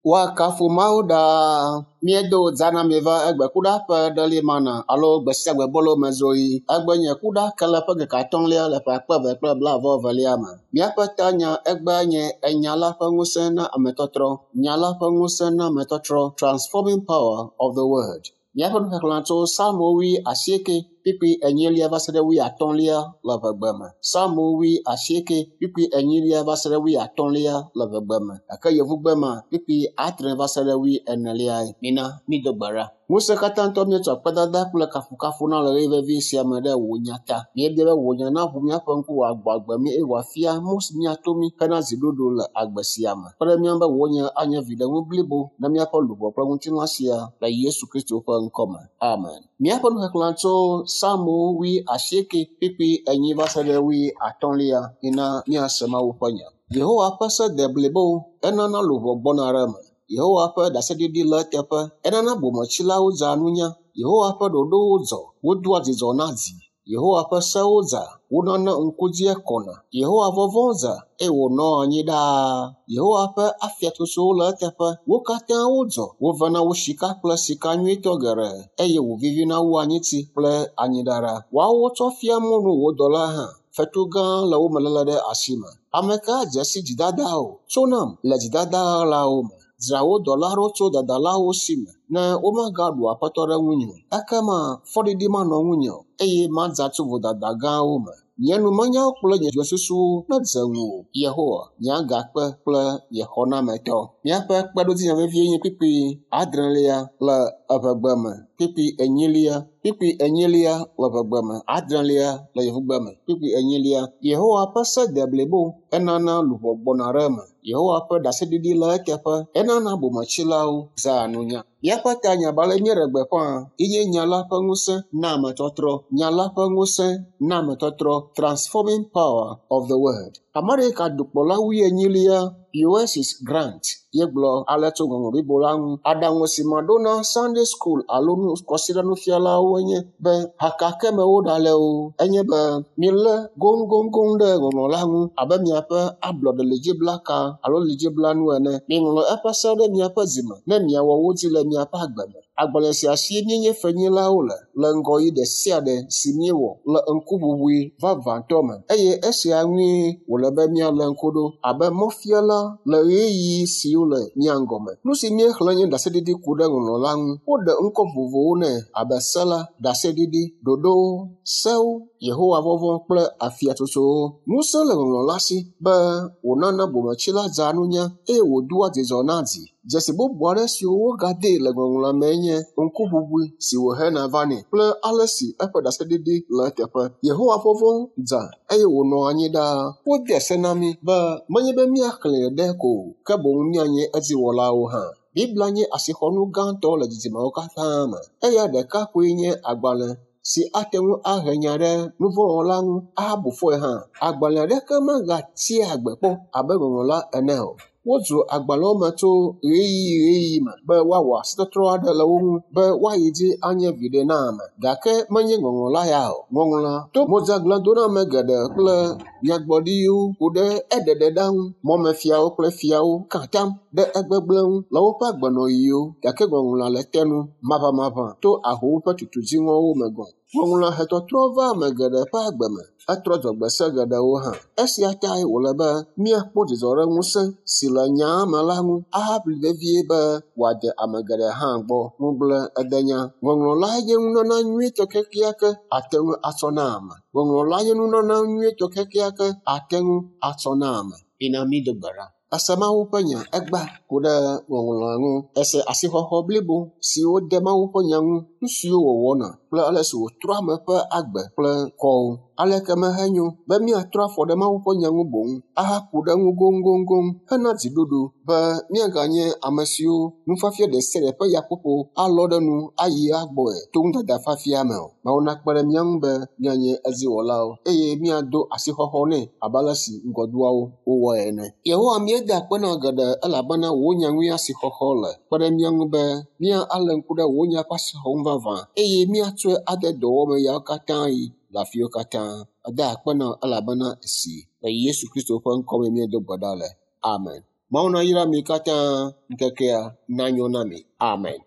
Woakafu Mawu ɖaa. Míedo dza na mi va egbe kuɖa ƒe ɖeli mana alo gbe sia gbe bolo me zoɣi. Egbe nye kuɖa ke le ƒe ŋkeke atɔ̃lia le ƒe akpe eve kple blaeve-vɔ-evelia me. Míaƒe tanya egbea nye enya la ƒe ŋusẽ na ametɔtrɔ. Nya la ƒe ŋusẽ na ametɔtrɔ. Transforming power of the word. Míaƒe nuxexlẽ tso Psalmo wui asieke kpukpui enyilia va se ɖe wui atɔ̃lia le ʋegbe me. Psalmo wui asieke kpukpui enyilia va se ɖe wui atɔ̃lia le ʋegbe me. Gake yevugbe ma kpukpui adre va se ɖe wui eneliae. Mina mído gbe ɖa. Ŋusẽkatãtɔ míetsɔ akpedada kple kafukafu na le ɣeyiɣi vevi sia me ɖe wò nya ta. Míebia be wò nya naʋu míaƒe ŋku wòagbɔ agbe mí eye wòafia mɔ si míato mí hena dziɖuɖu le agbe sia me. Kpe ɖe mía ŋu be wò nya anye viɖenu blibo na míaƒe luʋɔ kple ŋutilã sia le Yesu Kristo ƒe ŋkɔ me. Amen. Míaƒe nuxexlẽ tso Psalmo wui asieke kpukpui enyi va se ɖe wui atɔ̃lia. Mina míase Mawu ƒe nya. Yehowa ƒe se de blibo, enana luʋɔ gbɔna ɖe eme. Yehowa ƒe ɖaseɖiɖi le eteƒe, enana bometsilawo dzea nunya. Yehowa ƒe ɖoɖowo dzɔ, wodoa dzidzɔ na dzi. Yehowa ƒe sewo dza, wonana ŋku dzia kɔna. Yehowa vɔvɔ̃ dza eye wònɔa anyi ɖaa. Yehowa ƒe afiatsotsowo le eteƒe, wo katã wodzɔ, wovena wu sika kple sika nyuitɔ geɖe eye wòvivina wu anyitsi kple anyiɖaɖa. Woawo wotsɔ fia mɔnu wò dɔla hã, fetu gã le wo me léle ɖe asi me. Ame ka adze si dzidada o? Tso nam le dzidada ɣaɣlawo me. Dzra wò dɔla ɖo tso dadalawo si me ne womagaɖu aƒetɔ ɖe ŋunye o. Ekema fɔɖiɖi manɔ ŋunye o eye madza tso vodada gãwo me. Nye numenyawo kple nye dzɔsusuwo nedze ŋuwò, Yehowa, nye agakpe kple nye xɔnametɔ. Míaƒe kpeɖodzinya vevie nye kpukpui adrelia le eʋegbe me, kpukpui enyilia, kpukpui enyilia le ʋegbe me, adrelia le yevugbe me, kpukpui enyilia. Yehowa ƒe se de blibo, enana luʋɔ gbɔna ɖe eme. Yehowa ƒe ɖaseɖiɖi le eteƒe, enana bometsilawo zãa nunya. Míaƒe tanya abe ale míeɖe gbeƒã ye nye nya la ƒe ŋusẽ na ametɔtrɔ. Nya la ƒe ŋusẽ na ametɔtrɔ. Transforming power of the word. Amerika dukplɔla wuienyilia Ulysses Grant ye gblɔ ale tso ŋɔŋlɔ blibo la ŋu. Aɖaŋu si maɖo na Sunday school alo kɔsiɖanufialawo enye be haka ke me woɖale o, enye be milé goŋgoŋgoŋ ɖe ŋɔŋlɔ la ŋu abe miaƒe ablɔɖe lidziblaka alo lidziblanu ene. Miŋlɔ eƒe se ɖe miaƒe dzime ne miawɔ wo dzi le miaƒe agbe me. Agbalẽ sia sie míenye fenyilawo le le ŋgɔyiyi ɖe sia ɖe si míewɔ le ŋkuʋuʋui vavãtɔ me eye esia ŋue wòle be míalé ŋku ɖo abe mɔfiala le ɣeyiɣi siwo le mía ŋgɔme. Nu si míexlẽ nye ɖaseɖiɖi ku ɖe ŋɔŋlɔ la ŋu. Woɖe ŋkɔ vovovowo nɛ abe se la, ɖaseɖiɖi, ɖoɖowo, sewo, Yehowa vɔvɔ̃ kple afiatsotsowo. Ŋusẽ le ŋɔŋlɔ la si be wònana bometsila dzea nunya eye wòdoa dzidzɔ na dzi. Dzesi bubu aɖe siwo wogadee le ŋɔŋlɔa mee nye ŋkuʋuʋui si wòhena vanɛ kple ale si eƒe ɖaseɖiɖi le eteƒe. Yehowa vɔvɔ̃ dza eye wònɔ anyi ɖaa. Wode se na mí be menye be míaxlẽe ɖe ko o, ke boŋ míanye edziwɔlawo hã. Biblia nye asixɔnu gãtɔ le dzidzimewo katã me. Eya ɖeka koe nye agbalẽ si ate ŋu ahe nya ɖe nuvɔ̃wɔla ŋu ahabu fɔe hã. Agbalẽ aɖeke megatsia agbe kpɔ abe ŋɔŋlɔ la ene o. Wodzro agbalẽwo me tso ɣeyiɣi ɣeyiɣi me be woawɔ asitɔtrɔ aɖe le wo ŋu be woayi dzi anye viɖe na ame. Gake menye ŋɔŋlɔ la ya o. Ŋɔŋlɔa to modzagladoname geɖe kple nyagblɔɖiwo ku ɖe eɖeɖeɖa ŋu. Mɔmefiawo kple fiawo ka atam ɖe egbegblẽ ŋu le woƒe agbenɔɣiwo gake ŋɔŋlɔa le te nu maʋamaʋã to ahowo ƒe tutu dziŋɔwo me gɔ̃. Ŋɔŋlɔa he tɔtrɔ va ame geɖe ƒe agbe me. Etrɔ dzɔgbese geɖewo hã. Esia tae wòle be míakpɔ dzidzɔ ɖe ŋusẽ si le nyaa me la ŋu ahaʋli vevie be wòade ame geɖe hã gbɔ. Ŋugble edenya. Ŋɔŋlɔ lae nye nunana nyuitɔ kekeake ate ŋu atsɔ na ame. Ŋɔŋlɔ lae nye nunana nyuitɔ kekeake ate ŋu atsɔ na ame. Mina mído gbe ɖa. Ese Mawu ƒe nya egba ku ɖe ŋɔŋlɔa ŋu. Ese asixɔxɔ blibo si wode Mawu ƒe nya ŋu, nu siwo wòwɔna kple ale si wòtrɔ ame ƒe agbe kple kɔwo. Aleke mehenyo be míatrɔ afɔ ɖe Mawu ƒe nya ŋu boŋ ahaku ɖe eŋu goŋgoŋgoŋ hena dziɖuɖu be míaganye ame siwo nufiafia ɖe sia ɖe ƒe yaƒoƒo alɔ ɖe nu ayi agbɔe to nudada fiafia me o. Mawu nakpe ɖe mía ŋu be míanye edziwɔlawo eye míado asixɔxɔ nɛ abe ale si ŋgɔdoawo wowɔe ene. Yehowa míeda akpe na geɖe elabena wò nya ŋue asixɔxɔ le. Kpe ɖe mía ŋu be míalé ŋku ɖe wò nya ƒe asixɔxɔ ŋu vavã eye míatsɔe ade dɔwɔwɔ me yawo katã yi le afiwo katã. Eda akpe na elabena esi le Yesu Kristo ƒe ŋkɔ me míedo gbe ɖa le. Amen. Mawu nayra mi katã ŋkekea nanyo na mi. Amen.